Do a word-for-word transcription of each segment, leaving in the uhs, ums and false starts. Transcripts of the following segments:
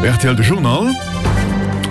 Rtl de Journal,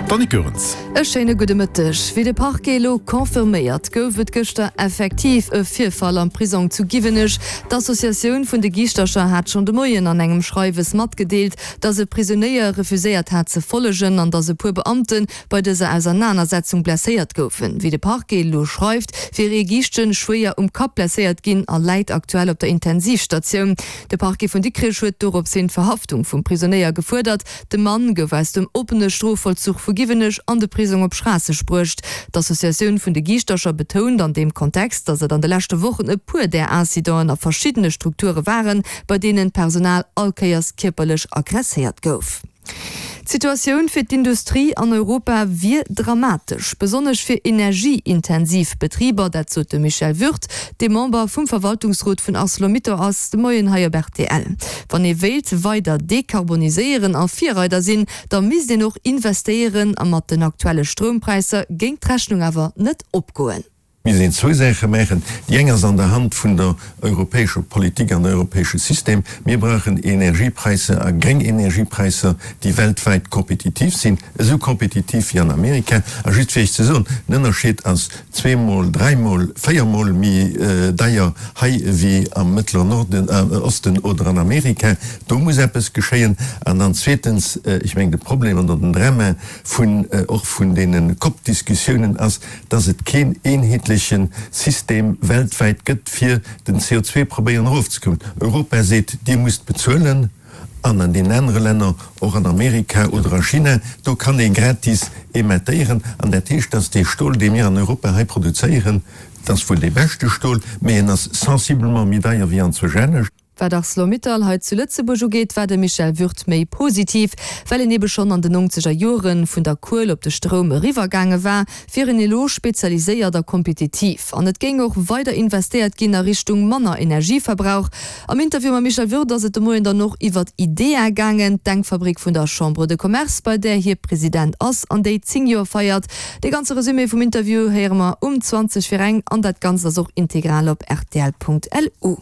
d'Annick Goerens. E schéine gudde Mëtteg. Wéi de Parquet elo confirméiert, gouf et gëschter effektiv e Virfall am Prisong zu Giwenech. D'Associatioun vun de Giischtercher hat schonn de Moien an engem Schreiwes matgedeelt, datt e Prisonéier refuséiert hat ze follegen an datt e puer Beamte bei dëser Ausernanersetzung blesséiert goufen. Wéi de Parquet elo schreift, wier ee Giischtjen schwéier um Kapp blesséiert ginn a läit aktuell op der Intensivstatioun. De Parquet vun Dikrech huet dorops hin d'Verhaftung vum Prisonéier gefuerdert. De Mann gouf aus dem oppene Strofvollzuch vu Giwenech an de Prisong op Schraasseg bruecht. D'Associatioun vun de Giischtercher betount an deem Kontext, datt et an de leschte Wochen e puer där Incidenten a verschiddene Strukture waren, bei deenen d'Personal all Kéiers kierperlech aggresséiert gouf. D'Situatioun fir d'Industrie an Europa wier dramatesch, besonnesch fir energieintensiv Betriber. Dat sot de Michel Würth, dee Member vum Verwaltungsrot vun Arcelor-Mittal ass, de Moien hei op rtl. Wann ee wéilt weider dekarboniséieren a Virreider sinn, da misst een och investéieren a mat den aktuelle Stroumpräisser géing d'Rechnung awer net opgoen. Mir sinn zwou Saache maachen. Déi eng ass an der Hand vun der europäescher Politik an europäesche System. Mir brauchen Energiepräisser a gréng Energiepräisser, déi weltwäit kompetitiv sinn, esou kompetitiv wéi an Amerika. A just fir Iech ze soen, den Ënnerscheed ass zweemol, dräimol, véiermol méi deier hei wéi am Mëttleren Norden, Osten oder an Amerika. Do muss eppes geschéien. An dann zweetens, ech mengen de Problem oder den Drama vun och vun deene COP-Diskussiounen ass, dass et keen eenheetleche System weltwäit gëtt, fir den C O zwei probéieren erofzekommen. Europa seet, Dir musst bezuelen, an an deenen anere Länner, och an Amerika oder a China, do kann ee gratis emettéieren. An dat heescht, dass dee Stol, dee mir an Europa hei produzéieren, dat ass wuel dee beschte Stol, mä en ass sensiblement méi deier wéi anzwousch anescht. Wat Arcelor-Mittal hei zu Lëtzebuerg ugeet, war de Michel Würth méi positiv. Well een ebe schonn an den nongzeger Joren vun der Kuel op de Stroum eriwwer gaange war, wier een elo spezialiséiert a kompetitiv. An et géing och weider investéiert ginn a Richtung manner Energieverbrauch. Am Interview mam Michel Würth ass et de Moien dann och iwwert IDEA gaangen, d'Denkfabrik vun der Chambre de Commerce, bei där hie President ass an déi zéng Joer feiert. De ganze Resumé vum Interview héiere mer um zwanzeg vir eng an dat Ganzt ass och integral op rtl.lu.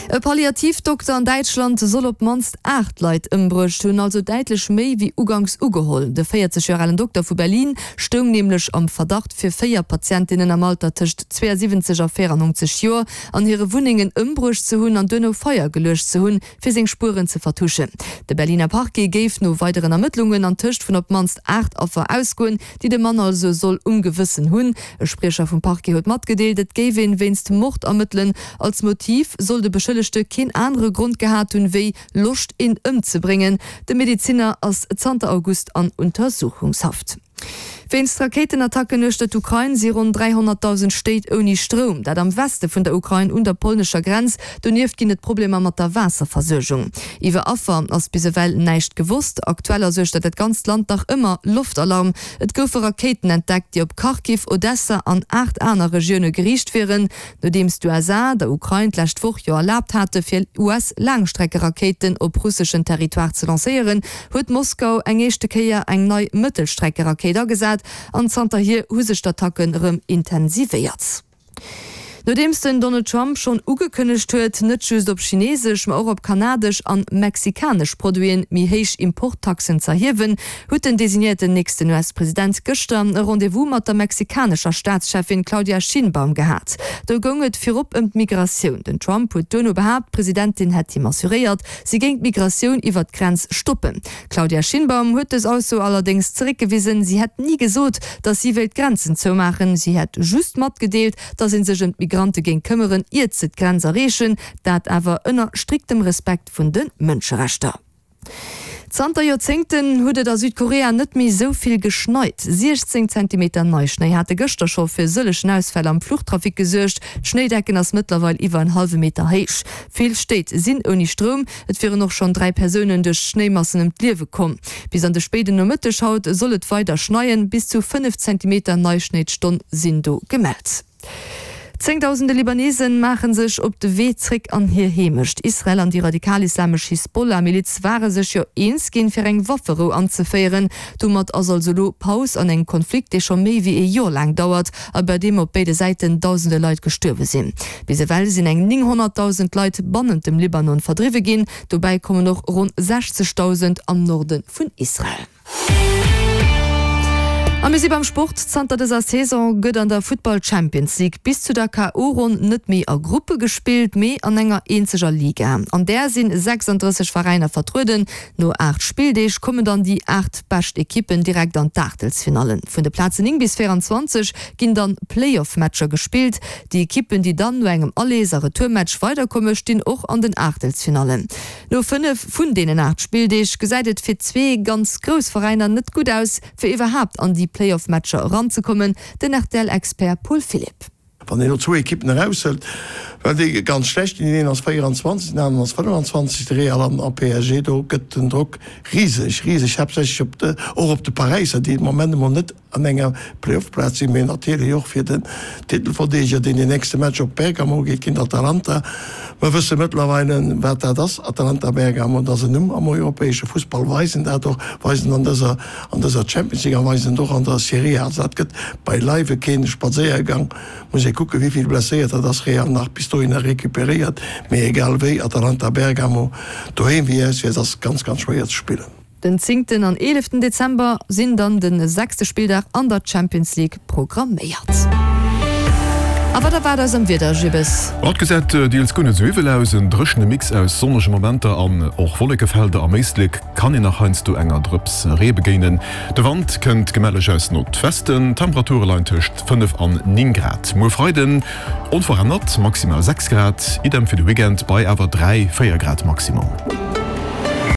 E Palliativdokter an Däitschland soll op d'mannst aacht Leit ëmbruecht hunn, also däitlech méi wéi uganks ugeholl. De véierzeg Joer alen Dokter vu Berlin stoung nämlech am Verdacht, fir véier Patientinnen am Alter tëscht zweeënsiwwenzeg a véierannongzeg Joer an hire Wunnengen ëmbruecht ze hunn an duerno Feier geluecht ze hunn, fir seng Spueren ze vertuschen. De Berliner Parquet géif no weideren Ermëttlungen an tëscht vun op d'mannst aacht Affer ausgoen, déi de Mann also soll um Gewëssen hunn. E Spriecher vum Parquet huet matgedeelt, et géif een wéinst Mord ermëttelen. Als Motiv soll de Beschëllegte keen anere Grond gehat hunn, wéi Loscht een ëmzebréngen. De Medeziner ass zanter August an Untersuchungshaft. Wéinst Rakéitenattacken uechter d'Ukrain si ronn dräihonnertdausend Stéit ouni Stroum, dat am Weste vun der Ukrain un der polnescher Grenz. Donieft ginn et Problemer mat der Waasserversuergung. Iwwer Affer ass bis ewell näischt gewosst. Aktuell ass uechter dat ganzt Land nach ëmmer Loftalarm. Et goufe Rakéiten entdeckt, déi op Kharkiv, Odessa an aacht aner Regioune geriicht wieren, nodeems d'U S A der Ukrain d'lescht Woch jo erlaabt hate fir U S-Laangstreckerakéiten op russeschen Territoire ze lancéieren, huet Moskau eng éischte Kéier eng nei Mëttelstreckerakéit agesat an zanterhier hu sech d'Attacken erëm intensivéiert. Nodeems den Donald Trump schonn ugekënnegt huet, net just op chineesesch, ma och op kanadesch an mexikanesch Produiten méi héich Importtaxen z'erhiewen, huet den designéierten nächsten U S-President gëschter e Rendez-vous mat der mexikanescher Staatschefin Claudia Sheinbaum gehat. Do goung et virop ëm d'Migratioun. Den Trump huet duerno behaapt, d'Presidentin hätt him assuréiert, si géing d'Migratioun iwwer d'Grenz stoppen. Claudia Sheinbaum huet dës Ausso allerdéngs zeréckgewisen. Si hätt ni gesot, datt si wéilt d'Grenzen zoumaachen. Si hätt just matgedeelt, datt ee sech ëm d'Migrante géing këmmeren, iert se d'Grenz erreechen, dat awer ënner striktem Respekt vun de Mënscherechter. Zanter Joerzéngten huet et a Südkorea net méi esou vill geschneit. siechzéng Zentimeter Neischnéi hate gëschter scho fir sëllegen Ausfäll am Fluchtrafic gesuergt. D'Schnéidecken ass mëttlerweil iwwer en hallwe Meter héich. Vill Stéit sinn ouni Stroum. Et wieren och schonn dräi Persounen duerch d'Schnéimassen ëm d'Liewe komm. Bis an de spéiden Nomëtteg haut soll et weider schneien. Bis zu fënnef Zentimeter Neischnéi d'Stonn sinn do gemellt. Zéngdausende Libanesen maache sech op de Wee zréck an hir Heemecht. Israel an déi radikal-islamesch Hisbollah-Miliz ware sech jo eens ginn, fir eng Wafferou anzeféieren. Domat ass also elo Paus an engem Konflikt, dee scho méi wéi ee Joer laang dauert a bei deem op béide Säiten dausende Leit gestuerwe sinn. Bis ewell sinn eng nénghonnertdausend Leit bannent dem Libanon verdriwwe ginn. Dobäi kommen och ronn sechzegdausend am Norde vun Israel. A mir si beim Sport. Zanter dëser Saison gëtt an der Futtball Champions League bis zu der K O Ronn net méi a Gruppe gespillt, mee an enger eenzeger Liga. An där si sechsanddrësseg Veräiner vertrueden. No aacht Spilldeeg kommen dann déi aacht bescht Ekippen direkt an d'Aachtelsfinallen. Vun de Plazen néng bis véieranzwanzeg ginn dann Playoff-Matcher gespillt. Déi Ekippen, déi dann no engem Allers a Retourmatch weiderkomme stinn och an den Aachtelsfinallen. No fënnef vun deenen aacht Spilldeeg gesäit et fir zwee ganz grouss Veräiner net gutt aus, fir iwwerhaapt an déi Playoff-Matcher eranzekommen, den R T L-Expert Paul Philipp. Wann een elo zwou Ekippen eraushëlt, well déi ganz schlecht sinn, deen een ass véieranzwanzeg, deen aneren ass fënnefanzwanzeg, de Real an a P S G, do gëtt den Drock riseg, riseg, haaptsächlech op de, och op de Paräisser, déi de Moment emol net an enger Playoff-Plaz sinn, mee natierlech och fir den Titelverdeedeger, deen den nächste Match op Bergamo geet géint Atalanta. Mer wësse mëttlerweile, wat dat ass, Atalanta Bergamo, dat ass en Numm am europäesche Fussball, weisen dat och, weisen an dëser, an dëser Champions League a weisen et och an der Serie A. Also dat gëtt beileiwe keen Spadséiergang. Muss ee kucken, wéi vill Blesséierter dass Real nach bis dohinner recuperéiert, mee egal wéi, Atalanta Bergamo doheem wéi auswäerts ass ganz, ganz schwéier ze spillen. Den zéngten an eeleften Dezember sinn dann de sechste Spilldag an der Champions League programméiert. A wat erwaart eis am Wieder, Gibbes? Haut gesäit deels guer net sou iwwel aus, en dréchene Mix aus sonnege Momenter an och Wollekefelder. Am Éislek kann een nach heiansdo enger Drëps Ree begéinen. De Wand kënnt gemälleg aus Nordwesten, d'Temperature leien tëscht fënnef an néng Grad. Muer Freiden onverännert maximal sechs Grad, idem fir de Weekend bei awer dräi, véier Grad Maximum.